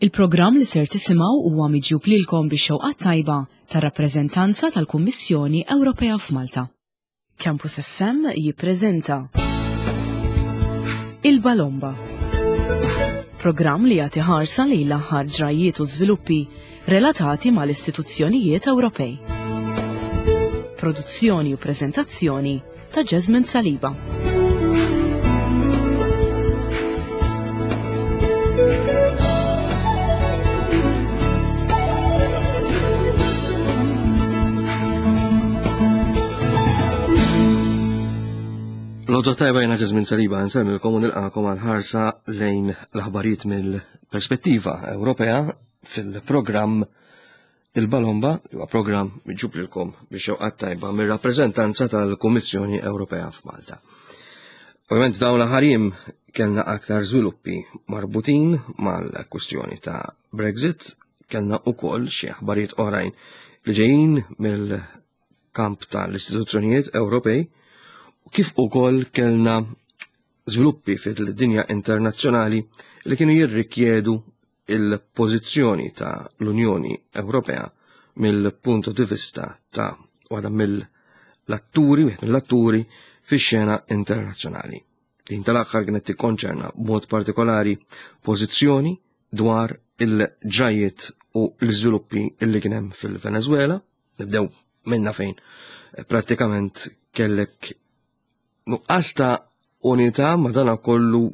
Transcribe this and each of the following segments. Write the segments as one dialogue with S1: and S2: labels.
S1: Il-programm li ser tisimgħu huwa miġjub lilkom bix-xewqat tajba tar-rappreżentanza tal-Kummissjoni Ewropea f'Malta. Campus FM jippreżenta Il-Balomba. Programm li jagħti ħarsa lejn l-aħħar ġrajjiet u żviluppi relatati mal-istituzzjonijiet Ewropej. Produzzjoni u preżentazzjoni ta' Jasmine Saliba.
S2: L-għodwa tajba jena Jasmine Saliba nsemmilkom u nilqakom għal ħarsa lejn l-aħbarijiet mill-perspettiva Ewropea fil-programm Il-Balomba huwa programm miġjub lilkom biex xewqat tajba mir-rappreżentanza tal-Kummissjoni Ewropea f'Malta. Ovvjament dawn l-aħħar jiem kellna aktar żviluppi marbutin mal-kwistjoni ta' Brexit, kellna ukoll xi aħbarijiet oħrajn li ġejjin mill-kamp tal-istituzzjonijiet Ewropej, kif ukoll kellna żviluppi fil-dinja internazzjonali li kienu jirrikjedu il-pożizzjoni ta' l-Unjoni Ewropea mill-punt di vista ta' waħda mill-atturi, wieħed mill-atturi fix-xena internazzjonali. Din tal-aħħar kienet tikkonċerna b'mod partikolari pożizzjoni dwar il-ġrajiet u l-iżviluppi illi kien hemm fil-Venezuela, nibdew minna fejn prattikament kellek Nuqqas ta' unità madanakollu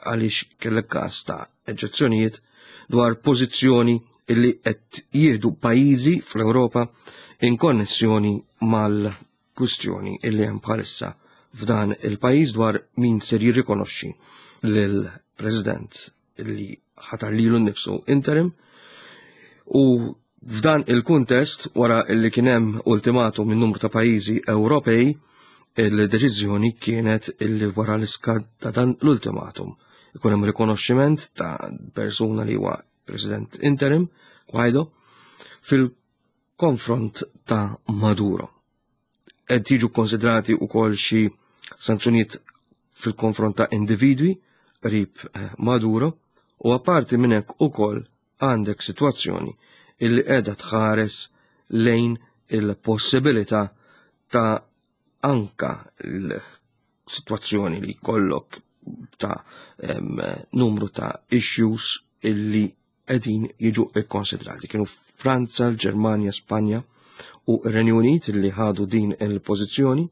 S2: għaliex kellek każ ta' eġġezzjonijiet dwar pożizzjoni illi qed jieħdu pajjiżi fl-Ewropa in konnessjoni mal-kwistjoni illi hemm bħalissa f'dan il-pajjiż dwar min ser jirrikonoxxi lill-President li ħatar lilu nnifsu interim u f'dan il-kuntest wara li kien hemm ultimatum minn numru ta' pajjiżi Ewropej il-deċiżjoni kienet illi wara l-iskad ta' dan l-ultimatum ikun hemm rikonoxximent ta' persuna li huwa President interim Guaido fil-konfront ta' Maduro. Qed jiġu konsidrati wkoll xi sanzjonijiet fil-konfront ta' individwi qrib eh, Maduro u apparti minn hekk ukoll għandek sitwazzjoni illi qiegħda tħares lejn il-possibilità ta' anka l-sitwazzjoni li jkollok ta' numru ta' issues illi qegħdin jiġu kkonsidrati. Kienu Franza, l-Ġermanja, Spanja u r-Renju Unit li ħadu din il-pożizzjoni.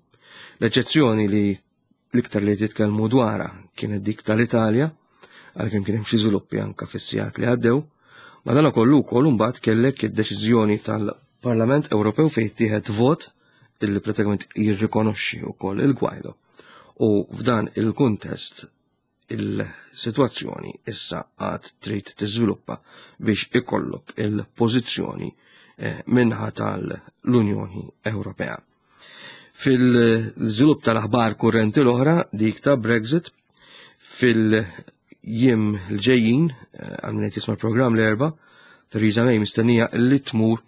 S2: L-eċċezzjoni li l-iktar li titkellmu dwarha kienet dik tal-Italja, għalkemm kien hemm xi żviluppi anke fis-sigħat li għaddew. Madanakollu wkoll imbagħad kellek id-deċiżjoni tal-Parlament Ewropew fejn tieħed vot illi pratikament jirrikonoxxi wkoll il-Guaido. U f'dan il-kuntest il-sitwazzjoni issa għad trid tiżviluppa biex ikollok il-pożizzjoni eh, minħa tal-Unjoni Ewropea. Fil-żvilupp tal-aħbar kurrenti l-oħra, dik ta' Brexit, fil-jiem l-ġejjin, eh, għal min jisma' l-programm l-erba, Theresa May mistennija li tmur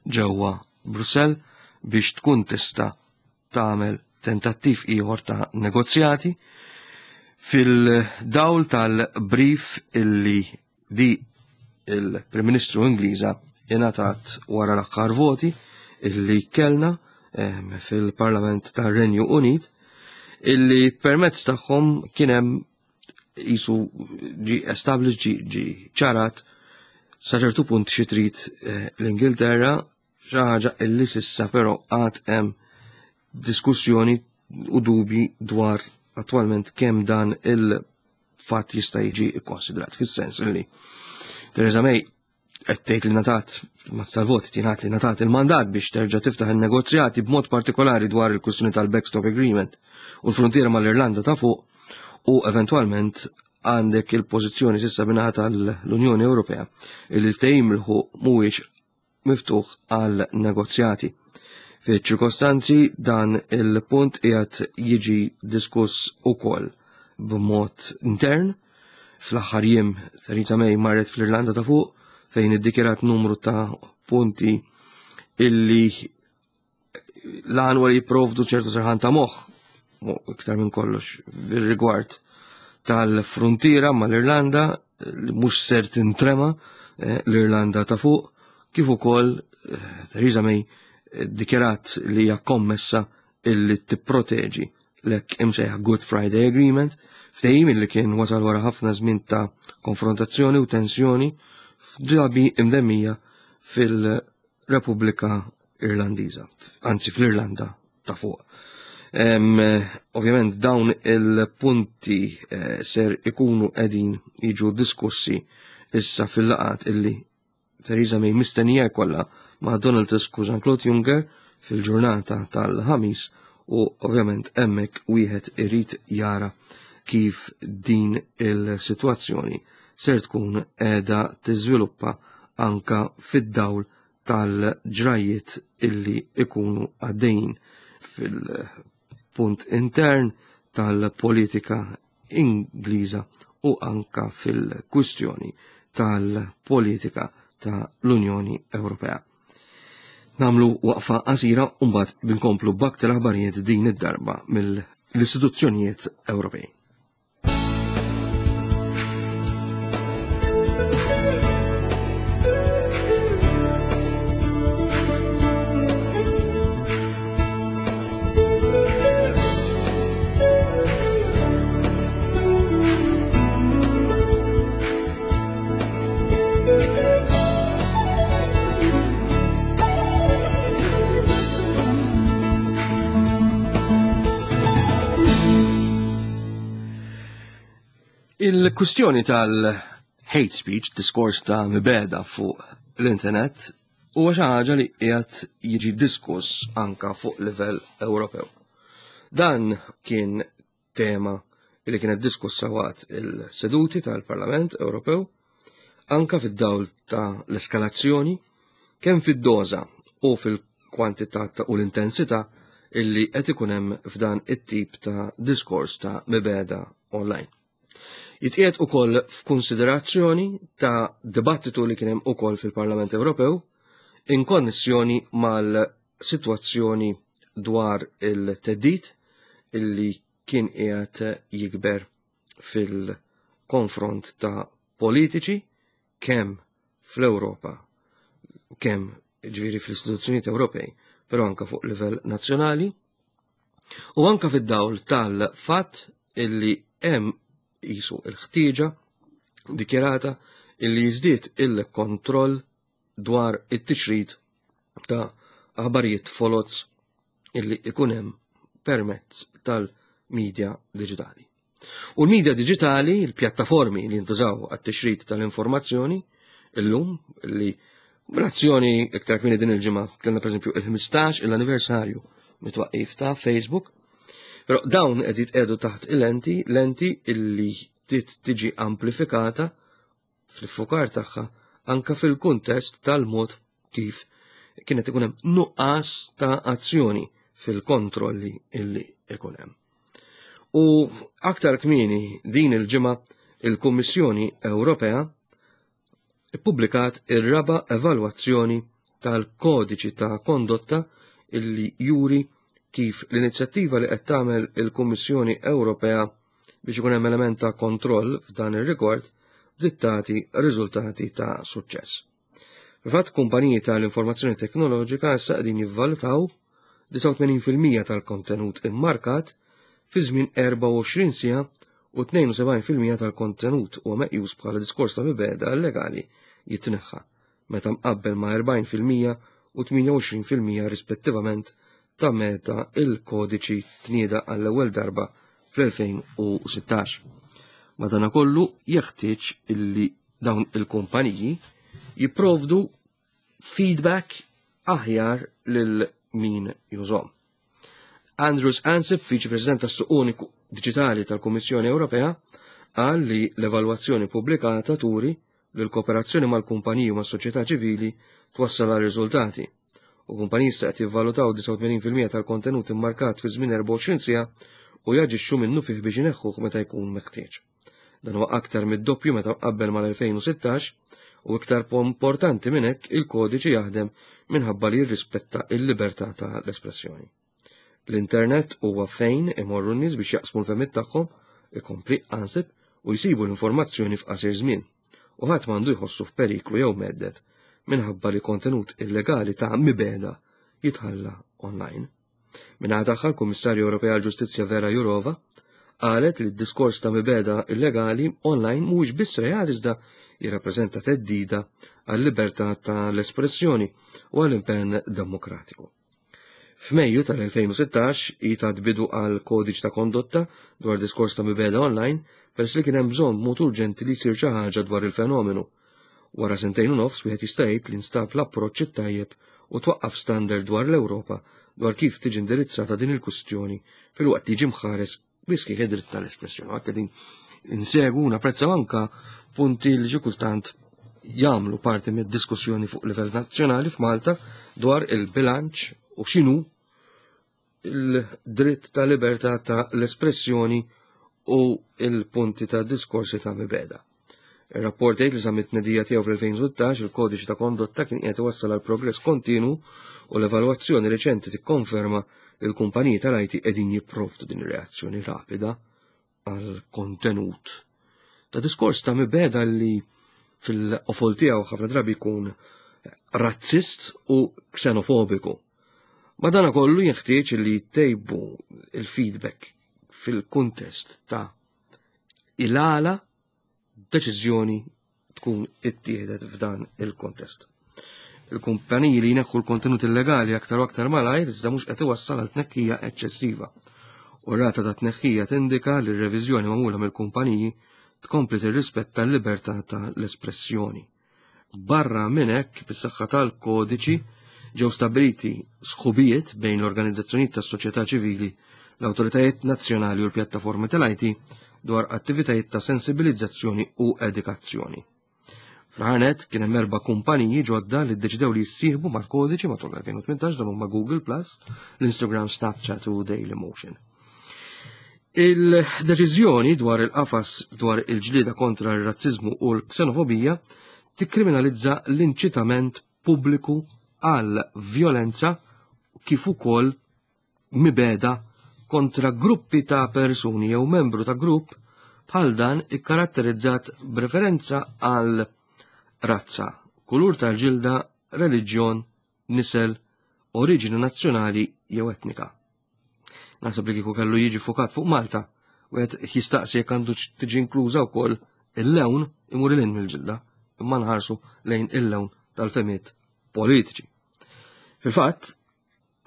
S2: ġewwa Brussell biex tkun tista' tagħmel tentattiv ieħor ta' negozjati fil-dawl tal-brief illi di il-Prim Ministru Ingliża ingħatat wara l-aħħar voti illi kellna ehm, fil-Parlament tar-Renju Unit illi permezz tagħhom kien hemm jisu ġi established ġi, ġi ċarat sa ċertu punt xi trid eh, l-Ingilterra Xi ħaġa illi sissa però għad hemm diskussjoni u dubji dwar attwalment kemm dan il-fatt jista' jiġi kkonsidrat fis-sens li Theresa May qed tgħid li natat tal-vot tingħad li natat il-mandat biex terġa' tiftaħ in-negozjati b'mod partikolari dwar il-kwistjoni tal-backstop agreement u l-frontiera mal-Irlanda ta' fuq u eventwalment għandek il-pożizzjoni sissa binaħa tal-Unjoni Ewropea li l-ftehim il-ħuq mhuwiex miftuħ għal negozjati. Fi ċirkostanzi dan il-punt qiegħed jiġi diskuss ukoll b'mod intern. Fl-aħħar jiem Theresa May marret fl-Irlanda ta' fuq fejn iddikjarat numru ta' punti illi l-għan li jipprovdu ċertu serħan ta' moħħ, iktar minn kollox, rigward tal-fruntiera mal-Irlanda li mhux ser tintrema eh, l-Irlanda ta' fuq, kif ukoll eh, Theresa May eh, dikjarat li hija kommessa illi tipproteġi l-hekk imsejjaħ Good Friday Agreement, ftehim illi kien wasal wara ħafna żmien ta' konfrontazzjoni u tensjoni f'drabi imdemmija fil-Repubblika Irlandiża, anzi fl-Irlanda ta' fuq. Ovvjament dawn il-punti eh, ser ikunu qegħdin jiġu diskussi issa fil-laqat illi Theresa May mistennija jkollha ma' Donald Tusk u Jean-Claude Juncker fil-ġurnata tal-ħamis u ovvjament hemmhekk wieħed irid jara kif din il-sitwazzjoni ser tkun qiegħda tiżviluppa anka fid-dawl tal-ġrajiet illi ikunu għaddejjin fil-punt intern tal-politika Ingliża u anka fil-kwistjoni tal-politika ta' l-Unjoni Ewropea. Namlu waqfa qasira u mbagħad binkomplu b'aktar aħbarijiet din id-darba mill-istituzzjonijiet Ewropej. Il-kwistjoni tal-hate speech, diskors ta' mibeda fuq l-internet, huwa xi ħaġa li qiegħed jiġi diskuss anka fuq livell Ewropew. Dan kien tema li kienet diskussa waqt il-seduti tal-Parlament Ewropew, anka fid-dawl ta' l-eskalazzjoni, kemm fid-doża u fil-kwantità u l-intensità illi qed ikun hemm f'dan it-tip ta' diskors ta' mibeda online. Jitqiegħed ukoll f'kunsiderazzjoni ta' dibattitu li kien hemm ukoll fil-Parlament Ewropew in konnessjoni mal-sitwazzjoni dwar il-teddid illi kien qiegħed jikber fil-konfront ta' politiċi kemm fl-Ewropa, kemm ġifieri fl-istituzzjonijiet Ewropej, però anka fuq livell nazzjonali, u anka fid-dawl tal-fatt illi hemm jisu il-ħtieġa dikjarata illi jiżdied il-kontroll dwar it-tixrid ta' aħbarijiet foloz illi ikun hemm permezz tal-medja diġitali. U l-medja diġitali, il-pjattaformi li jintużaw għat-tixrid tal-informazzjoni, illum li b'razzjoni iktar kmieni din il-ġimgħa kellna pereżempju il-15 l-anniversarju mit-twaqqif ta' Facebook, però dawn qed jitqegħdu taħt il-lenti, lenti illi tiġi amplifikata fl-iffukar tagħha anka fil-kuntest tal-mod kif kienet ikun hemm nuqqas ta' azzjoni fil-kontrolli illi ikun hemm. U aktar kmieni din il-ġimgħa il-Kummissjoni Ewropea ippubblikat ir-raba' evalwazzjoni tal-kodiċi ta' kondotta illi juri kif l-inizjattiva li qed tagħmel il-Kummissjoni Ewropea biex ikun hemm element ta' kontroll f'dan ir-rigward bdiet tagħti riżultati ta' suċċess. Fil-fatt kumpaniji tal-informazzjoni teknoloġika issa qegħdin jivvalutaw 89% tal-kontenut immarkat fi żmien 24 siegħa u 72% tal-kontenut huwa meqjus bħala diskors ta' mibegħda illegali jitneħħa meta mqabbel ma' 40% u 28% rispettivament ta' meta il-kodiċi tnieda għall-ewwel darba fl-2016. Madanakollu jeħtieġ illi dawn il-kumpaniji jipprovdu feedback aħjar lil min jużhom. Andrus Ansip, Viċi President tas-Suq Uniku Diġitali tal-Kummissjoni Ewropea, qal li l-evalwazzjoni pubblikata turi li l-kooperazzjoni mal-kumpaniji u mas-soċjetà ċivili twassal għal riżultati. U kumpaniji issa qed jivvalutaw 89% tal-kontenut immarkat fi żmien 24 siegħa u jaġixxu minnufih biex ineħħuh meta jkun meħtieġ. Dan huwa aktar mid-doppju meta mqabbel mal-2016 u iktar importanti minn hekk il-kodiċi jaħdem minħabba li jirrispetta il-libertà ta' l-espressjoni. L-internet huwa fejn imorru n-nies biex jaqsmu l-fehmiet tagħhom, ikompli Ansip, u jsibu l-informazzjoni f'qasir żmien u ħadd m'għandu jħossu f'periklu jew mhedded minħabba li kontenut illegali ta' mibegħda jitħalla online. Min-naħa tagħha l-Kummissarju Ewropea għall-Ġustizzja Vera Jourova qalet li d-diskors ta' mibegħda illegali online mhuwiex biss reat iżda jirrappreżenta theddida għal-libertà tal-espressjoni u għall-impenn demokratiku. F'Mejju tal-2016 hi tat bidu għal kodiċi ta' kondotta dwar diskors ta' mibegħda online peress li kien hemm bżonn b'mod urġenti li jsir xi ħaġa dwar il-fenomenu. Wara sentejn u nofs wieħed jista' jgħid li nstab l-approċċ it-tajjeb u twaqqaf standard dwar l-Ewropa dwar kif tiġi indirizzata din il-kwistjoni filwaqt li jiġi mħares bi sħiħ id-dritt tal-espressjoni. Għakka din insegu napprezzaw anka punti li xi kultant jagħmlu parti mid-diskussjoni fuq livell nazzjonali f'Malta dwar il-bilanċ u x'inhu il-dritt ta' libertà ta' l-espressjoni u il-punti ta' diskorsi ta' mibeda. Ir-rapport jgħid li sa mit-tnedija tiegħu fl-2016 il-kodiċi ta' kondotta kien qiegħed iwassal għal progress kontinu u l-evalwazzjoni reċenti tikkonferma li l-kumpaniji tal-IT qegħdin jipprovdu din ir-reazzjoni rapida għal kontenut ta' diskors ta' mibeda li fil-qofol tiegħu ħafna drabi jkun razzist u ksenofobiku. Madana kollu jinħtieġ li jtejbu il-feedback fil-kuntest ta' il-għala deċiżjoni tkun ittieħdet f'dan il-kontest. Il-kumpaniji li jneħħu l-kontenut illegali aktar u aktar malajr iżda mhux qed iwassal għal tnekkija eċċessiva. U rata ta' tneħħija tindika li r-reviżjoni magħmula mill-kumpaniji tkompli tirrispetta l-libertà ta' l-espressjoni. Barra minn hekk, bis-saħħa tal-kodiċi ġew stabbiliti sħubijiet bejn l-organizzazzjonijiet tas-soċjetà ċivili, l-awtoritajiet nazzjonali u l-pjattaformi tal-IT dwar attivitajiet ta' sensibilizzazzjoni u edukazzjoni. Fl-ħanet kien hemm erba' kumpaniji ġodda li ddeċidew li jissieħbu mal-kodiċi matul l-2018 dan huma Google Plus, l-Instagram, Snapchat u Dailymotion. Il-deċiżjoni dwar il-qafas dwar il-ġlieda kontra r-razziżmu u l-ksenofobija tikkriminalizza l-inċitament pubbliku għal vjolenza kif ukoll mibegħda kontra gruppi ta' persuni jew membru ta' grupp bħal dan ikkaratterizzat b'referenza għal razza, kulur tal-ġilda, reliġjon, nisel, oriġini nazzjonali jew etnika. Naħseb li kieku kellu jiġi fukat fuq Malta, wieħed jistaqsi jekk għandu tiġi inkluża wkoll il-lewn imur il mill-ġilda, imma nħarsu lejn il-lewn tal-femiet politiċi. Fil-fatt,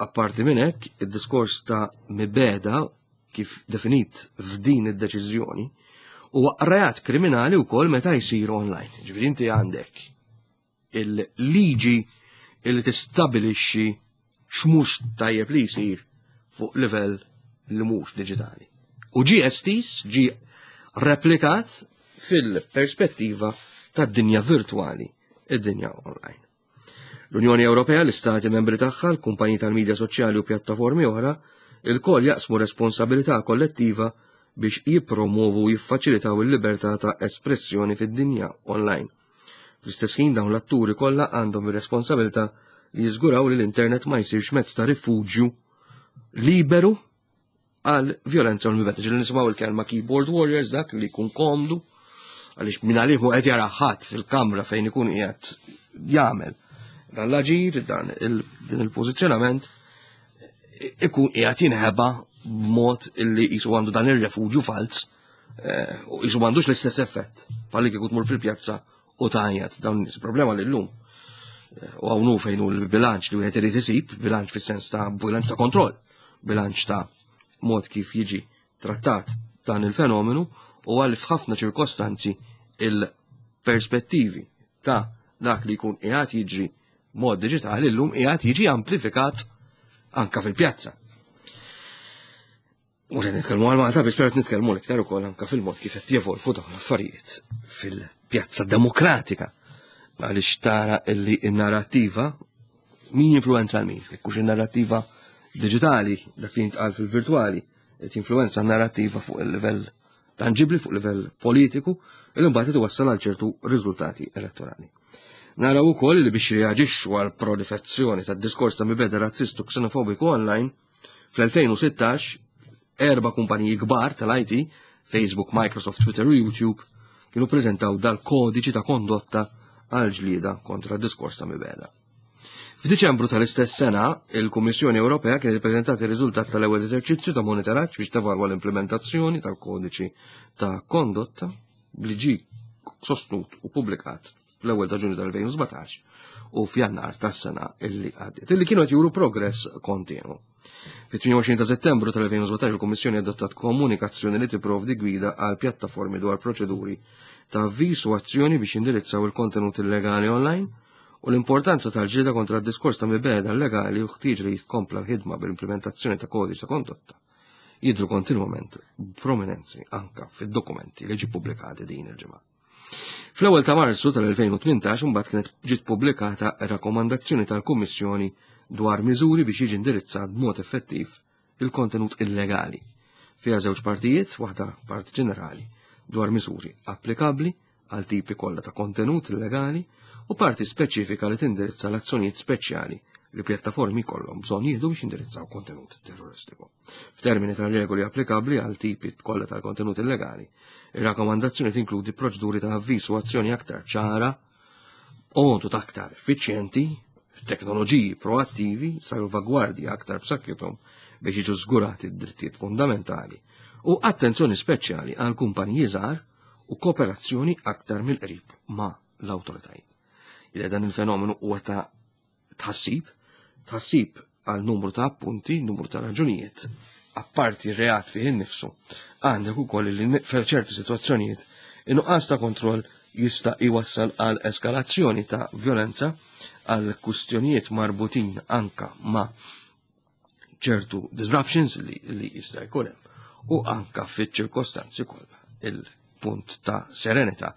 S2: apparti minn hekk, id-diskors ta' mibeda kif definit f'din id-deċiżjoni huwa reat kriminali wkoll meta jsir online. Ġifieri inti għandek il-liġi li tistabilixxi x'mhux tajjeb li jsir fuq livell li mhux diġitali. U ġie estiż, ġie replikat fil-perspettiva tad-dinja virtwali, id-dinja online. L-Unjoni Ewropea, l-Istati membri tagħha, l-kumpaniji tal-midja soċjali u pjattaformi oħra, ilkoll jaqsmu responsabilità kollettiva biex jippromovu u jiffaċilitaw il-libertà ta' espressjoni fid-dinja online. Fl-istess ħin dawn l-atturi kollha għandhom ir-responsabilità li jiżguraw li l-internet ma jsirx mezz ta' rifuġju liberu għal violenza u l-mibeta. Ġili nisimgħu il-kelma keyboard warriors dak li jkun komdu għaliex minn għalih qed jara ħadd fil-kamra fejn ikun qiegħed jagħmel dan l-aġir, dan din il-pożizzjonament ikun qiegħed jinħeba b'mod illi jisu għandu dan ir-refuġju falz eh, u jisu m'għandux l-istess effett bħalli kieku tmur fil-pjazza u tajjat dawn nies. Problema li llum eh, u hawn fejn hu l-bilanċ li wieħed irid isib, bilanċ fis-sens ta' bilanċ ta' kontroll, bilanċ ta' mod kif jiġi trattat dan il-fenomenu u għal f'ħafna ċirkostanzi il-perspettivi ta' dak li jkun qiegħed jiġri mod diġitali llum qiegħed jiġi amplifikat anka fil-pjazza. Mhux qed nitkellmu għal Malta biss qed nitkellmu l-iktar ukoll anke fil-mod kif qed jevolvu dawn l-affarijiet fil-pjazza demokratika. Għaliex tara illi n-narrattiva min jinfluenza l min, jekkux in-narrattiva diġitali dak li jintqal fil-virtwali, qed jinfluenza n-narrattiva fuq il-livell tangibli fuq livell politiku, il mbagħad iwassal għal ċertu riżultati elettorali. Naraw ukoll li biex reaġixxu għal proliferazzjoni tad-diskors ta' mibeda razzistu xenofobiku online, Fl-2016, erba' kumpaniji kbar tal-IT, Facebook, Microsoft, Twitter u YouTube kienu preżentaw dal-kodiċi ta' kondotta għal ġlieda kontra d-diskors ta' mibegħda. F'Diċembru tal-istess sena, il-Kummissjoni Ewropea kienet ippreżentat ir-riżultat tal-ewwel eżerċizzju ta' monitoraġġ biex tevalwa l-implementazzjoni tal-kodiċi ta' kondotta li ġie sostnut u pubblikat fl-ewwel ta' Ġunju tal-2017 u f'Jannar tas-sena illi għaddiet, illi kienu qed juru progress kontinwu. Fit-28 ta' Settembru tal-2017 il-Kummissjoni adottat komunikazzjoni li tipprovdi gwida għal pjattaformi dwar proċeduri ta' avviż u azzjoni biex jindirizzaw il-kontenut illegali online u l-importanza tal-ġlieda kontra d-diskors ta' mibegħda illegali u ħtieġ li jitkompla l-ħidma bil-implementazzjoni ta' kodiċi ta' kondotta jidhru kontinwament b'prominenzi anka fid-dokumenti li ġi pubblikati din il-ġimgħa. Fl-ewwel ta' Marzu tal-2018 imbagħad kienet ġiet pubblikata rakkomandazzjoni tal-Kummissjoni dwar miżuri biex jiġi indirizzat b'mod effettiv il-kontenut illegali. Fiha żewġ partijiet, waħda parti ġenerali dwar miżuri applikabbli għal tipi kollha ta' kontenut illegali u parti speċifika li tindirizza l-azzjonijiet speċjali li pjattaformi kollhom bżonn jieħdu biex jindirizzaw kontenut terroristiku. F'termini ta' regoli applikabbli għal tipi kollha tal-kontenut illegali, ir-rakkomandazzjoni tinkludi proċeduri ta' avviż u azzjoni aktar ċara, għodod aktar effiċjenti, teknoloġiji proattivi, salvagwardji aktar b'saħħithom biex jiġu żgurati d-drittijiet fundamentali u attenzjoni speċjali għal kumpaniji żgħar u kooperazzjoni aktar mill-qrib ma' l-awtoritajiet. Ila dan il-fenomenu huwa ta' tħassib, tħassib għal numru ta' appunti, numru ta' raġunijiet, apparti reat fih innifsu, għandek ukoll li f'ċerti sitwazzjonijiet in-nuqqas ta' kontroll jista' jwassal għal eskalazzjoni ta' violenza għal kustjonijiet marbutin anka ma' ċertu disruptions li, li jista' jkun hemm u anka fiċ-ċirkostanzi kollha il-punt ta' serenità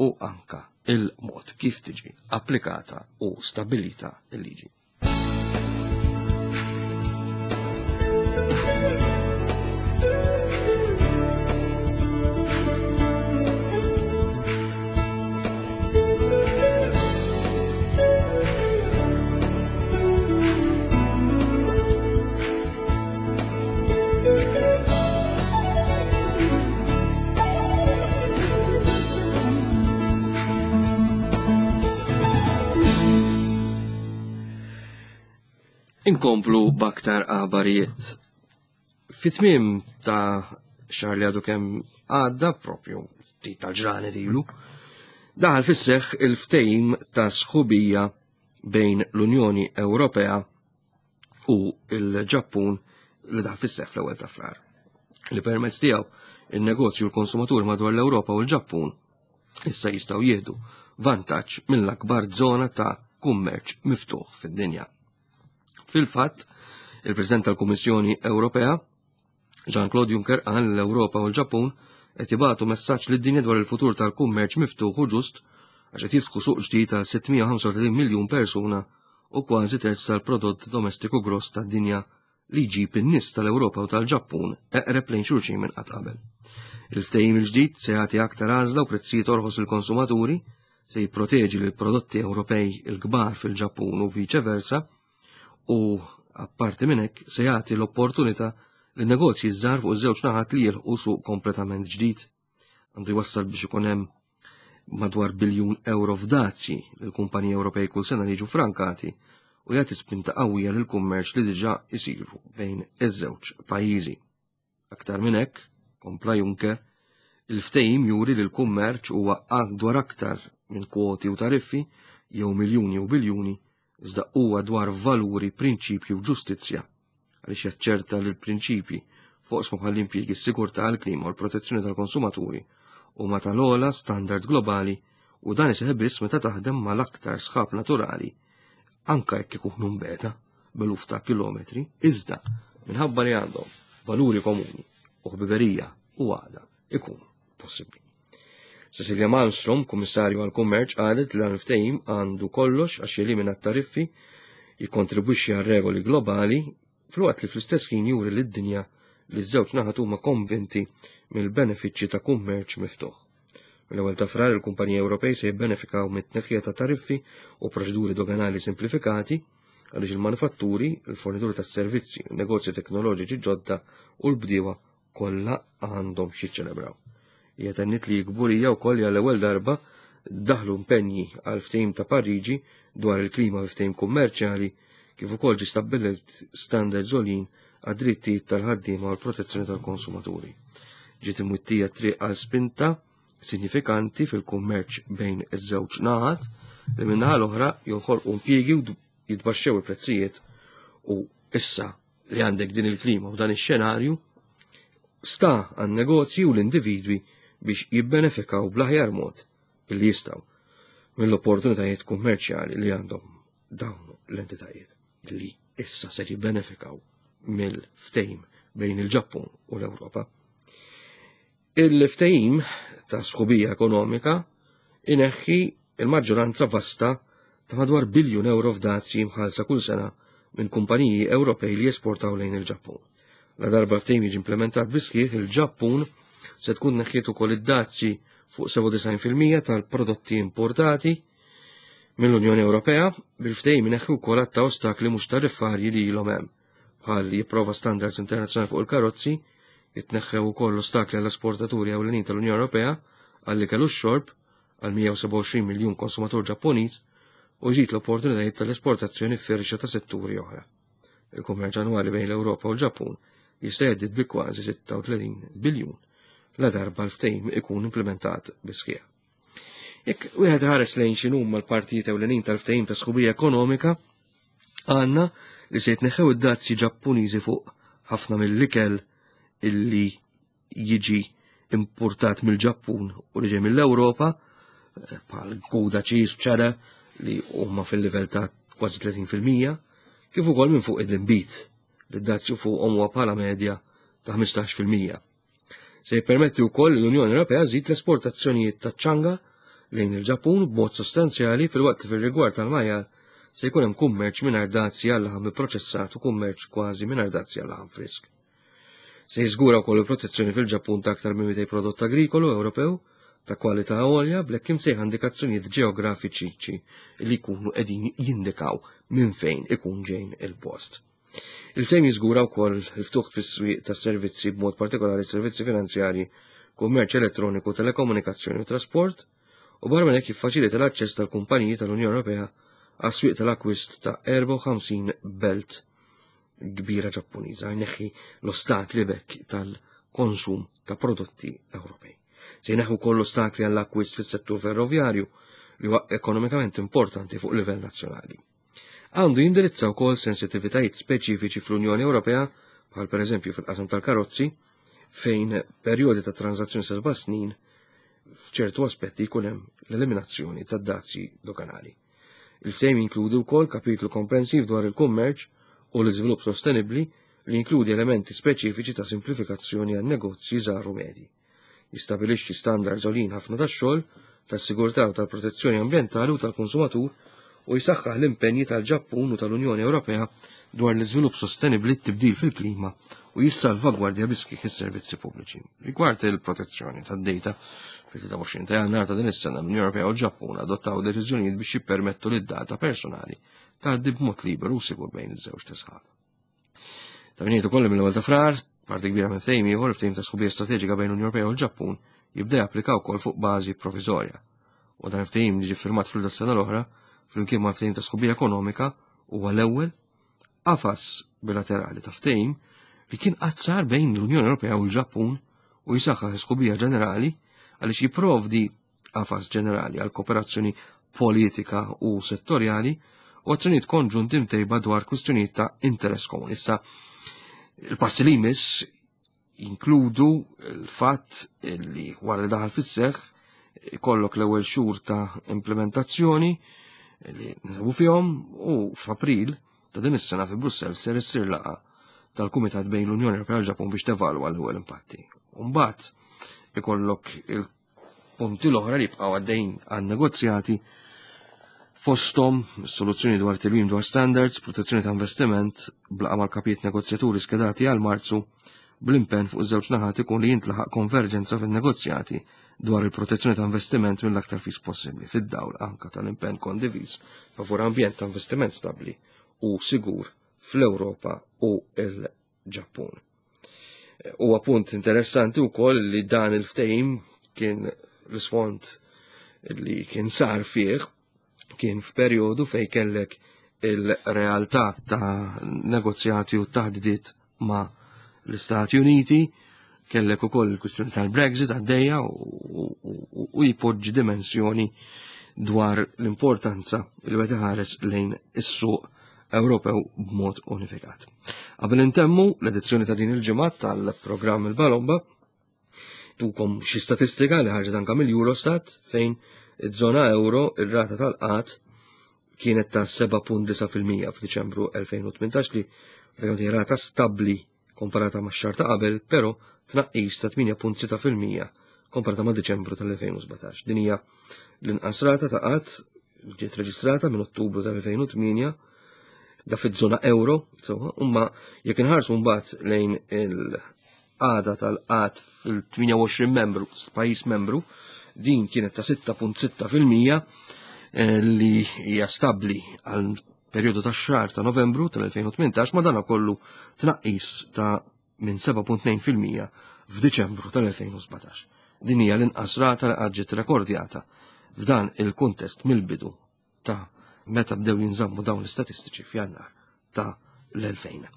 S2: u anka il-mod kif tiġi applikata u stabilita il-liġi. Inkomplu baktar aħbarijiet. Fit-tmiem ta' xahar li għadu kemm għadda propju ftit tal-ġranet ilu, daħal fis-seħħ il-ftehim ta' sħubija bejn l-Unjoni Ewropea u l-Ġappun li daħal fis-seħħ fl-ewwel ta' Frar. Li permezz tiegħu in-negozju u l-konsumatur madwar l-Ewropa u l-Ġappun issa jistgħu jieħdu vantaġġ mill-akbar żona ta' kummerċ miftuħ fid-dinja. Fil-fatt, il-President tal-Kummissjoni Ewropea, Jean-Claude Juncker qal li l-Ewropa u l-Ġappun qed jibagħtu messaġġ lid-dinja dwar il-futur tal-kummerċ miftuħ u ġust għax qed jiftħu suq ġdid għal 635 miljun persuna u kważi terz tal-prodott domestiku gross tad-dinja li jġib in-nies tal-Ewropa u tal-Ġappun eqreb lejn xulxin minn qatt qabel. Il-ftehim il-ġdid se jagħti aktar għażla u prezzijiet orħos lill-konsumaturi, se jipproteġi lil prodotti Ewropej il-kbar fil-Ġappun u viċe versa, u apparti minn hekk se jagħti l-opportunità li negozji żgħar fuq iż-żewġ naħat li jilħqu suq kompletament ġdid. Għandu jwassal biex ikun hemm madwar biljun euro f'dazji lil kumpaniji Ewropej kull sena li jiġu frankati u jagħti spinta qawwija lil kummerċ li diġà isiru bejn iż-żewġ pajjiżi. Aktar minn hekk, kompla Juncker, il-ftehim juri li l-kummerċ huwa dwar aktar minn kwoti u tariffi jew miljuni u biljuni, iżda huwa dwar valuri, prinċipji u ġustizzja għaliex jaċċerta li l-prinċipji f'oqsma bħall-impjiegi, s-sigurtà, il-klima u l-protezzjoni tal-konsumaturi huma tal-ogħla standard globali u dan iseħħ biss meta taħdem mal-aktar sħab naturali anka jekk ikunu mbeta b'eluf ta' kilometri, iżda minħabba li għandhom valuri komuni u ħbiberija u għaqda ikun possibbli. Cecilia Malmström, Kummissarju għall-Kummerċ, qalet li dan il-ftehim għandu kollox għax jelimina t-tariffi, jikkontribwixxi għal regoli globali, filwaqt li fl-istess ħin juri lid-dinja li ż-żewġ naħat huma konvinti mill-benefiċċji ta' kummerċ miftuħ. Mill-ewwel ta' Frar il-kumpaniji Ewropej se jibbenefikaw mit-tneħħija ta' tariffi u proċeduri doganali simplifikati għaliex il-manifatturi, il-fornituri tas-servizzi, negozji teknoloġiċi ġodda u l-bdiewa kollha għandhom x'jiċċelebraw. Hija tenniet li kburija wkoll li għall-ewwel darba daħlu impenji għal ftehim ta' Pariġi dwar il-klima fi ftehim kummerċjali kif ukoll ġie stabbilit standards għoljin għad-drittijiet tal-ħaddiema u l-protezzjoni tal-konsumaturi. Ġiet imwittija triq għal spinta sinifikanti fil-kummerċ bejn iż-żewġ naħat li min-naħa l-oħra joħolqu impjiegi u jitbaxxew il-prezzijiet u issa li għandek din il-klima u dan ix-xenarju sta għan negozji u l-individwi biex jibbenefikaw bl-aħjar mod illi jistgħu mill-opportunitajiet kummerċjali li għandhom dawn l-entitajiet li issa se jibbenefikaw mill-ftehim bejn il-Ġappun u l-Ewropa. Il-ftehim ta' sħubija ekonomika ineħħi il-maġġoranza vasta ta' madwar biljun euro f'dazji mħallsa kull sena minn kumpaniji Ewropej li jesportaw lejn il-Ġappun. La darba ftehim jiġi implementat bisħieħ, il-Ġappun se tkun neħħiet ukoll id-dazji fuq 97% tal-prodotti importati mill-Unjoni Ewropea, bil-ftehim ineħħi wkoll għadd ta' ostakli mhux tariffarji li ilhom hemm, bħal jipprova standards internazzjonali fuq il-karozzi, jitneħħew ukoll l-ostakli għall-esportaturi ewlenin tal-Unjoni Ewropea għall-ikel u x-xorb għal 127 miljun konsumatur Ġappuniż u jżid l-opportunitajiet tal-esportazzjoni f'firxa ta' setturi oħra. Il-kummerċ annwali bejn l-Ewropa u l-Ġappun jista' jgħaddid bi kważi 36 biljun la darba l-ftehim ikun implementat bis-sħiħ. Jekk wieħed ħares lejn x'inhuma l-partijiet ewlenin tal-ftehim ta' sħubija ekonomika, għandna li se jitneħħew id-dazzi Ġappuniżi fuq ħafna mill-ikel illi jiġi importat mill-Ġappun u li ġej mill-Ewropa, bħal gouda cheese, cheddar, li huma fil-livell ta' kważi 30%, kif ukoll minn fuq id-inbid li d-dazju fuqhom huwa bħala medja ta' 15%. Se jippermetti wkoll li l-Unjoni Ewropea żid l-esportazzjonijiet taċ-ċanga lejn il-Ġappun b'mod sostanzjali filwaqt li fir-rigward tal-majjal se jkun hemm kummerċ mingħajr dazji għal laħam ipproċessat u kummerċ kważi mingħajr dazji għal laħam frisk. Se jiżgura wkoll il-protezzjoni fil-Ġappun ta' aktar minn 200 prodott agrikolu Ewropew ta' kwalità għolja bl-hekk imsejħa indikazzjonijiet ġeografiċi li jkunu qegħdin jindikaw minn fejn ikun ġejn il-post. Il-ftehim jiżgura wkoll il-ftuħ fis-swieq tas-servizzi b'mod partikolari servizzi finanzjarji, kummerċ elettroniku, telekomunikazzjoni u trasport, u barra minn hekk jiffaċilita l-aċċess tal-kumpaniji tal-Unjoni Ewropea għas-swieq tal-akkwist ta' 54 belt kbira Ġappuniża, jneħħi l-ostakli bekk tal-konsum ta' prodotti Ewropej. Se jneħħu wkoll l-ostakli għall-akkwist fis-settur ferrovjarju li huwa ekonomikament importanti fuq livell nazzjonali. Għandu jindirizza wkoll sensitivitajiet speċifiċi fl-Unjoni Ewropea, bħal pereżempju fil-qasam tal-karozzi, fejn perjodi ta' transazzjoni seba' snin f'ċertu aspetti jkun hemm l-eliminazzjoni tad-dazji doganali. Il-ftehim jinkludi wkoll kapitlu komprensiv dwar il-kummerċ u l-iżvilupp sostenibbli li jinkludi elementi speċifiċi ta' simplifikazzjoni għan negozji żgħar u medji. Jistabilixxi standards għoljin ħafna tax-xogħol, tas-sigurtà u tal-protezzjoni ambjentali u tal-konsumatur u jsaħħaħ l-impenji tal-Ġappun u tal-Unjoni Ewropea dwar l-iżvilupp sostenibbli, t-tibdil fil-klima u jissalvagwardja bis-sħiħ is-servizzi pubbliċi. Rigward il-protezzjoni tad-data, fil-23 ta' Jannar ta' din is-sena l-Unjoni Ewropea u l-Ġappun adottaw deċiżjonijiet biex jippermettu li d-data personali tgħaddi b'mod liberu u sigur bejn iż-żewġ sħab. Ta' min ukoll mill-ewwel ta' Frar, parti kbira minn ftehim ieħor ftehim ta' sħubija strateġika bejn l-Unjoni Ewropea u l-Ġappun jibda japplika wkoll fuq bażi proviżorja. U dan ftehim li ġie firmat fl sena l-oħra flimkien ma' ftehim ta' sħubija ekonomika huwa l-ewwel qafas bilaterali ta' ftehim li kien qatt sar bejn l-Unjoni Ewropea u l-Ġappun u jisaħħaħ sħubija ġenerali għaliex jipprovdi qafas ġenerali għal kooperazzjoni politika u settorjali u azzjonijiet konġunti mtejba dwar kwistjonijiet ta' interess komuni. Issa, il-passi li jmiss jinkludu l-fatt li wara li daħal fis-seħħ ikollok l-ewwel xhur ta' implementazzjoni li nsabu fihom u f'April ta' din is-sena fi Brussell ser issir laqgħa tal-Kumitat bejn l-Unjoni Ewropea u l-Ġapun biex tevalwa l-ewwel impatti. Mbagħad ikollok il punti l-oħra li jibqgħu għaddejjin għan negozjati fosthom soluzzjoni dwar tilwim dwar standards, protezzjoni ta' investiment, blaqa mal-kapijiet negozjaturi skedati għal Marzu, bl-impenn fuq iż-żewġ naħat ikun li jintlaħaq konverġenza fin-negozjati dwar il-protezzjoni ta' investiment mill-aktar fis possibbli fid-dawl anka tal-impenn kondiviż favur ambjent ta' investiment stabbli u sigur fl-Ewropa u l-Ġappun. Huwa punt interessanti wkoll li dan il-ftehim kien l-isfond li kien sar fih kien f'perjodu fej kellek il-realtà ta' negozjati u taħdidiet ma' l-Istati Uniti, kellek ukoll il-kwistjoni tal-Brexit għaddejja u jpoġġi dimensjoni dwar l-importanza li wieħed iħares lejn is-suq Ewropew b'mod unifikat. Qabel intemmu l-edizzjoni ta' din il-ġimgħa tal-programm il-Balomba, tukom xi statistika li ħarġet anka mill-Eurostat fejn iż-żona euro ir-rata tal-qat kienet ta' 7.9% f'Diċembru 2018 li pratikament rata stabbli komparata ma' xahar ta' qabel, però tnaqqis ta' 8.6% komparata ma' Diċembru tal-2017. Din hija l-inqas rata ta' qatt ġiet reġistrata minn Ottubru tal-2008 da fiż-żona euro, insomma, imma jekk inħarsu mbagħad lejn il-qagħda tal-qgħad fil-28 membru, pajjiż membru, din kienet ta' 6.6% eh, li hija stabbli għal perjodu ta' xahar ta' Novembru tal-2018 ma dana kollu tnaqqis ta' minn 7.2% f'Diċembru tal-2017. Din hija l-inqas rata li qatt ġiet rekordjata f'dan il-kuntest mill-bidu ta' meta bdew jinżammu dawn l-istatistiċi f'Jannar ta' l-2000.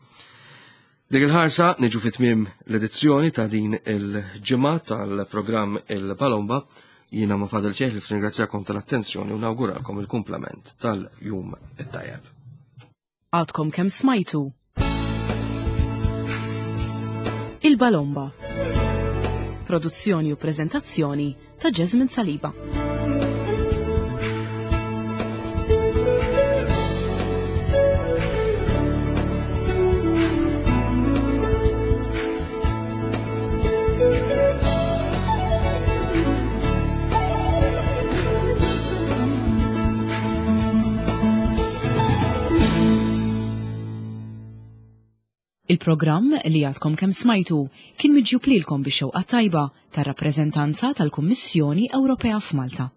S2: Dik il-ħarsa niġu fi tmiem l-edizzjoni ta' din il-ġimgħa tal-programm Il-Palomba. Jiena ma fadal xejn li ringrazzjakom tal-attenzjoni u nawguralkom il-kumplament tal-jum it-tajjeb.
S1: Għadkom kemm smajtu Il-Balomba. Produzzjoni u prezentazzjoni ta' Jasmine Saliba. Il-programm li għadkom kemm smajtu kien miġjub lilkom bix-xewqa tajba tar-rappreżentanza tal-Kummissjoni Ewropea f'Malta.